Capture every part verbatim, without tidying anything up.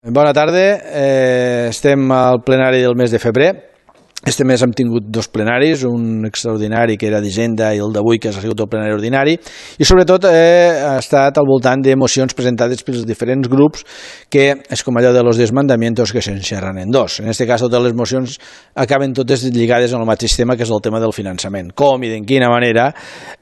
Bona tarda, eh, estem al plenari del mes de febrer. Este mes hem tingut dos plenaris, un extraordinari que era d'Hisenda i el d'avui que ha sigut el plenari ordinari, i sobretot eh, ha estat al voltant de mocions presentades pels diferents grups, que és com allò de los desmandamientos que s'enxerran en dos. En aquest cas, totes les mocions acaben totes lligades al mateix tema, que és el tema del finançament. Com i de quina manera,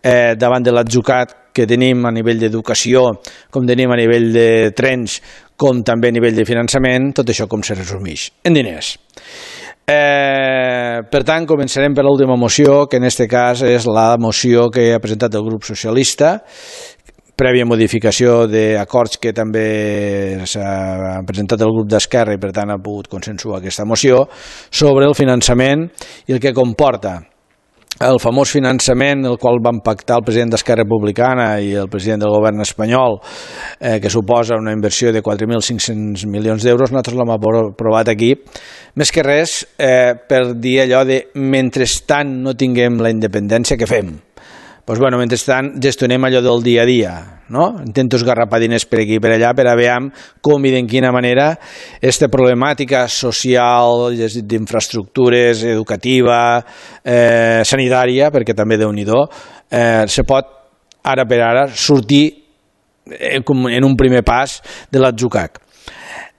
eh, davant de l'atzucat que tenim a nivell d'educació, com tenim a nivell de trens, com també a nivell de finançament, tot això com se resumeix en diners. Eh, per tant, començarem per l'última moció, que en aquest cas és la moció que ha presentat el grup socialista, prèvia modificació d'acords que també s'ha presentat el grup d'Esquerra i per tant ha pogut consensuar aquesta moció sobre el finançament i el que comporta el famós finançament el qual van pactar el president d'Esquerra Republicana i el president del govern espanyol, eh, que suposa una inversió de quatre mil cinc-cents milions d'euros. Nosaltres l'hem aprovat aquí, més que res eh, per dir allò de mentrestant no tinguem la independència, què fem? Doncs, bueno, mentrestant gestionem allò del dia a dia, no? Intento esgarrapar diners per aquí i per allà per a veure com i de quina manera aquesta problemàtica social, d'infraestructures, educativa, eh, sanitària, perquè també déu-n'hi-do, eh, se pot ara per ara sortir en un primer pas de l'atzucac.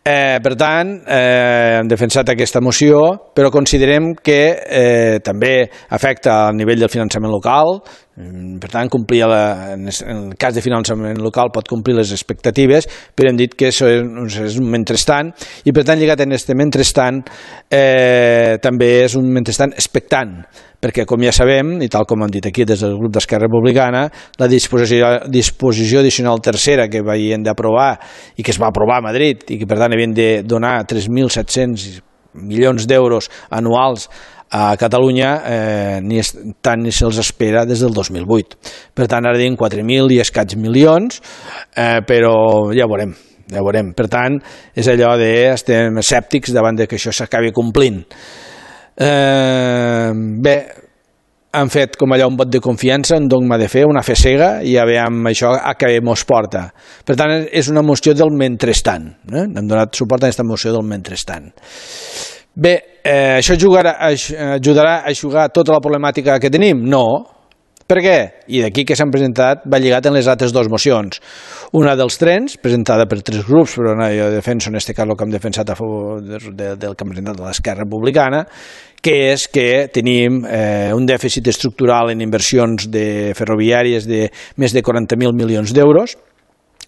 Eh, per tant, eh, hem defensat aquesta moció, però considerem que eh, també afecta al nivell del finançament local. Per tant, complir la, en el cas de finançament local pot complir les expectatives, però hem dit que això és un mentrestant, i per tant, lligat en aquest mentrestant, eh, també és un mentrestant expectant, perquè, com ja sabem, i tal com hem dit aquí des del grup d'Esquerra Republicana, la disposició, disposició addicional tercera que havien d'aprovar i que es va aprovar a Madrid i que, per tant, havien de donar tres mil set-cents milions d'euros anuals a Catalunya, eh, ni es, tant ni se'ls espera des del dos mil vuit. Per tant, ara diem quatre mil i escaig milions, eh, però ja veurem, ja veurem. Per tant, és allò de estem escèptics davant de que això s'acabi complint. Eh, bé, han fet com allò un vot de confiança, un dogma de fe, una fe cega, i ja veiem això a què mos porta. Per tant, és una moció del mentrestant. Eh? Hem donat suport a aquesta moció del mentrestant. Bé, eh, això ajudarà, ajudarà a eixugar tota la problemàtica que tenim? No. Per què? I d'aquí que s'han presentat va lligat en les altres dues mocions. Una dels trens, presentada per tres grups, però no, jo defenso en aquest cas el que hem defensat a favor de, de, del que hem presentat de l'Esquerra Republicana, que és que tenim eh, un dèficit estructural en inversions de ferroviàries de més de quaranta mil milions d'euros,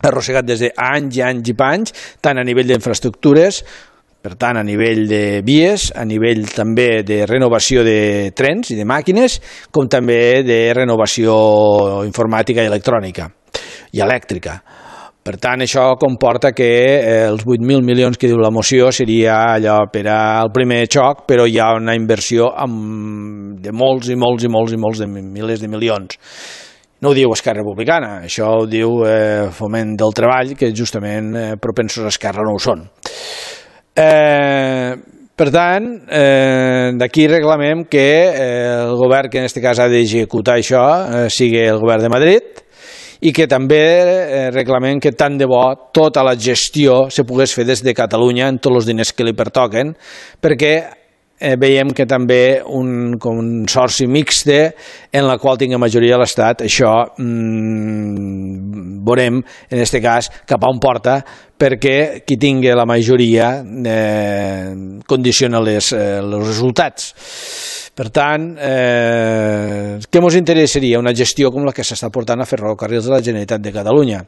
arrossegat des d'anys i anys i panys, tant a nivell d'infraestructures, per tant, a nivell de vies, a nivell també de renovació de trens i de màquines, com també de renovació informàtica i electrònica i elèctrica. Per tant, això comporta que els vuit mil milions que diu la moció seria allò per al primer xoc, però hi ha una inversió de molts i molts i molts i molts de milers de milions. No ho diu Esquerra Republicana, això ho diu eh, Foment del Treball, que justament eh, propensos a Esquerra no ho són. Eh, per tant, eh, d'aquí reclamem que eh, el govern que en aquest cas ha d'executar això eh, sigui el govern de Madrid, i que també eh, reclamem que tant de bo tota la gestió se pogués fer des de Catalunya en tots els diners que li pertoquen, perquè eh, veiem que també un consorci mixte en la qual tingui majoria l'Estat, això mmm, veurem en aquest cas cap a on porta, perquè qui tingui la majoria eh, condiciona les, eh, els resultats. Per tant, eh, què ens interessaria? Una gestió com la que s'està portant a Ferrocarrils de la Generalitat de Catalunya.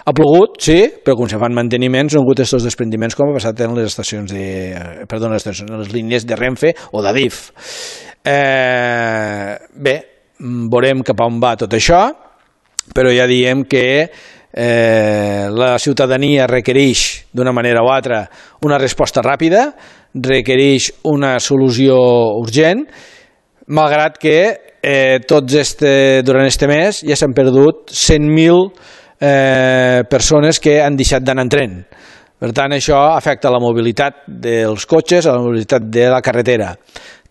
Ha plogut, sí, però quan se fan manteniments no han hagut aquests desprendiments com ha passat en les estacions de, perdó, en les, estacions, en les línies de Renfe o d'Adif. Eh, bé, veurem cap a on va tot això, però ja diem que Eh, la ciutadania requereix d'una manera o altra una resposta ràpida, requereix una solució urgent, malgrat que eh, tots este, durant este mes ja s'han perdut cent mil eh, persones que han deixat d'anar en tren. Per tant, això afecta la mobilitat dels cotxes, a la mobilitat de la carretera.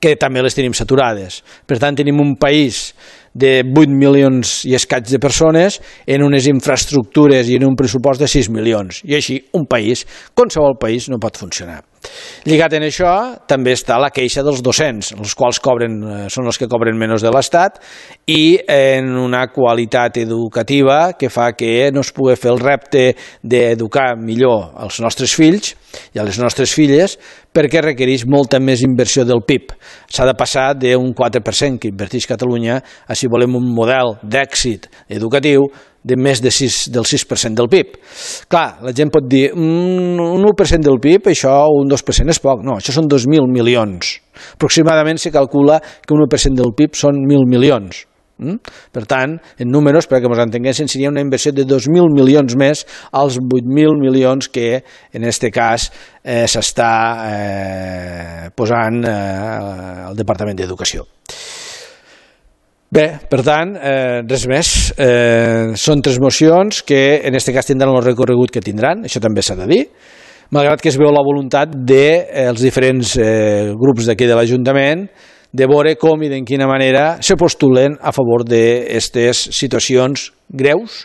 que també les tenim saturades. Per tant, tenim un país de vuit milions i escaig de persones en unes infraestructures i en un pressupost de sis milions. I així, un país, qualsevol país, no pot funcionar. Lligat en això, també està la queixa dels docents, els quals cobren, són els que cobren menys de l'Estat, i en una qualitat educativa que fa que no es pugui fer el repte d'educar millor els nostres fills i a les nostres filles, perquè requereix molta més inversió del P I B. S'ha de passar d'un quatre per cent que inverteix Catalunya a si volem un model d'èxit educatiu de més de sis, del sis per cent del P I B. Clar, la gent pot dir un u per cent del P I B, això un dos per cent és poc. No, això són dos mil milions. Aproximadament se calcula que un u per cent del P I B són mil milions. Per tant, en números, perquè ens entenguessin, seria una inversió de dos mil milions més als vuit mil milions que en aquest cas eh, s'està eh, posant eh, al Departament d'Educació. Bé, per tant, eh, res més. Eh, són tres mocions que en aquest cas tindran el recorregut que tindran, això també s'ha de dir, malgrat que es veu la voluntat dels eh, diferents eh, grups d'aquí de l'Ajuntament de veure com i de quina manera se postulen a favor d'aquestes situacions greus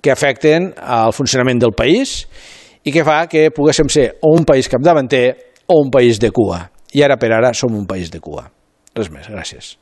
que afecten al funcionament del país i que fa que poguéssim ser o un país capdavanter o un país de cua. I ara per ara som un país de cua. Res més, gràcies.